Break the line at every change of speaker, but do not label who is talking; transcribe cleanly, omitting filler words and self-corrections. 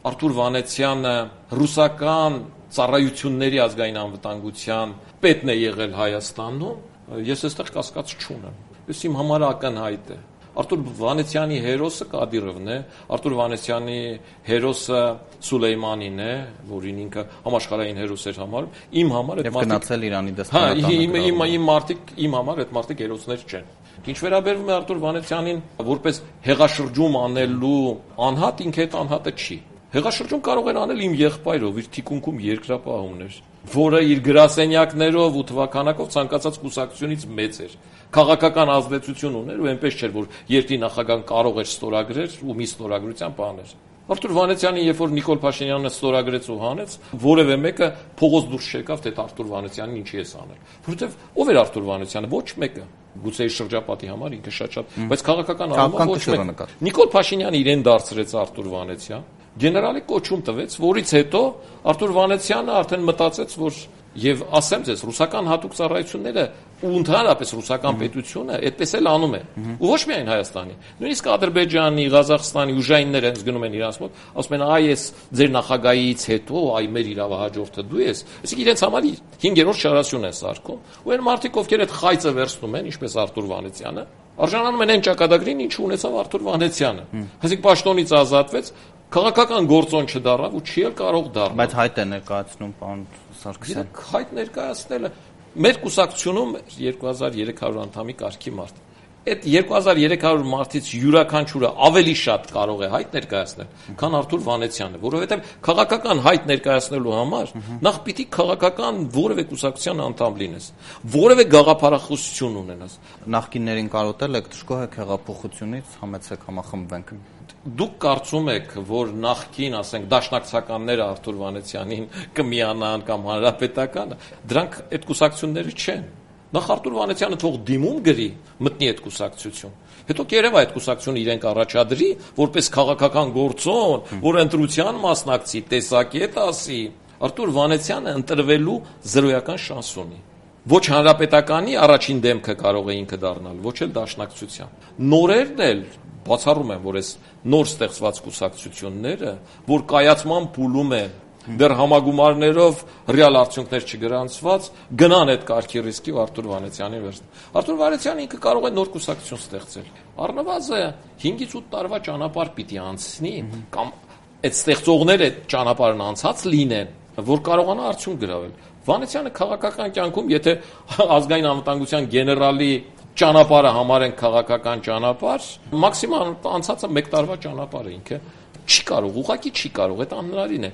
Արթուր Վանեցյանը ռուսական ծառայությունների ազգային անվտանգության պետն է եղել Հայաստանում, ես այստեղ կասկած չունեմ։ Ես իմ համար ակնհայտ է։ Արթուր Վանեցյանի հերոսը Կադիրովն է, Արթուր Վանեցյանի հերոսը Սուլեյմանին է, որին ինքը համաշխարհային հերոս էր համարում, իմ համար այդ մարդիկ
գնացել Իրանի դեսպանատանը։
Իմ համար այդ մարդիկ հերոսներ չեն։ Ինչ վերաբերվում է Արթուր Վանեցյանին որպես հեղաշրջում անելու անհատ, ինքը այդ անհատը չի։ Հեղաշրջում կարող էր անել իմ եղբայրով, իր թիկունքում երկրապահ ուներ, որը իր գրասենյակներով ու թվականակով ցանկացած կուսակցությունից մեծ էր։ Քաղաքական ազդեցություն ուներ ու այնպես չէր, որ երկրի նախագահան կարող էր ստորագրել ու մի ստորագրության բաներ։ Արթուր Վանեցյանին, երբ որ Նիկոլ Փաշինյանը ստորագրեց ու հանեց, որևէ մեկը փողոց դուրս չեկավ, թե Արթուր Վանեցյանին ինչի է անել։ Որովհետև ով էր Արթուր Վանեցյանը, ոչ մեկը։ Գուցե իր շրջապատի համար ինքը շատ, բայց քաղաքական առումով ոչ մեկը։ Նիկոլ Փաշինյանը իրեն դարձրեց Արթուր Վանեցյան, գեներալի կոչում տվեց, որից հետո Արթուր Վանեցյանը արդեն մտածեց, որ եւ ասեմ ձեզ, ռուսական հատուկ ծառայությունները ու ընդհանրապես ռուսական պետությունը այդպես էլ անում է։ Ու ոչ միայն Հայաստանի, նույնիսկ Ադրբեջանի, Ղազախստանի ուժայինները հենց գնում են իրանց մոտ, ասում են՝ «Այ ես ձեր նախագահից հետո, այ մեր իրավահաջորդը դու ես»։ Այսինքն իրենց համար 5-րդ շարասյուն են սարքում։ Ու այն մարդիկ, ովքեր այդ խայծը վերցնում են, ինչպես Արթուր Վանեցյանը, արժանանում են այն ճակատագրին, ինչ ունեցավ Արթուր Վանեցյանը։ Այսինքն պաշտոնից ազատվեց, քաղաքական գործոն չդառավ ու չի էլ կարող դառնալ։
Բայց հայտ է ներկայացնում պարոն Սարգսյան։
Հայտ ներկայացնելը մեր կուսակցությունում 2300 անդամի կարգի մարդ։ Այդ 2300 մարդից յուրաքանչյուրը ավելի շատ կարող է հայտ ներկայացնել, քան Արթուր Վանեցյանը, որովհետև քաղաքական հայտ ներկայացնելու համար նախ պիտի քաղաքական որևէ կուսակցության անդամ լինես, որևէ գաղափարախոսություն ունենաս։
Նախկիններին կարոտել եք, դժգոհ եք հեղափոխությունից, համեցեք համախմբվենք։
Դուք կարծում եք, որ նախկին, ասենք, դաշնակցականները Արթուր Վանեցյանին կմիանան կամ հանրապետականը, դրանք այդ կուսակցությունները չեն։ Նախ Արթուր Վանեցյանը թող դիմում գրի, մտնի այդ կուսակցություն։ Հետո կերևա այդ կուսակցությունը իրենք առաջադրի, որպես քաղաքական գործոն, որ ընտրության մասնակցի, տեսակետ ասի։ Արթուր Վանեցյանը ընտրվելու զրոյական շանս ունի։ Ոչ հանրապետականի առաջին դեմքը կարող է ինքը դառնալ, ոչ էլ դաշնակցության։ Նորերն էլ բացառում են, որ այս նոր ստեղծված կուսակցությունները, որ կայացման փուլում են, դեռ համագումարներով ռեալ արդյունքներ չգրանցված, գնան այդ կարգի ռիսկի ու Արթուր Վանեցյանին վերցնեն։ Արթուր Վանեցյանը ինքը կարող է նոր կուսակցություն ստեղծել։ Առնվազն 5-ից 8 տարվա ճանապարհ պիտի անցնի, կամ այդ ստեղծողները ճանապարհն անցած լինեն, որ կարողանա արդյունք գրավել։ Վանեցյանը քաղաքական կյանքում, եթե ազգային անվտանգության գեներալի ճանապարհը համարեն քաղաքական ճանապարհ, մաքսիմալ անցածը 1 տարվա ճանապարհ է ինքը չի կարող, ուղղակի չի կարող, այդ անհնարին է։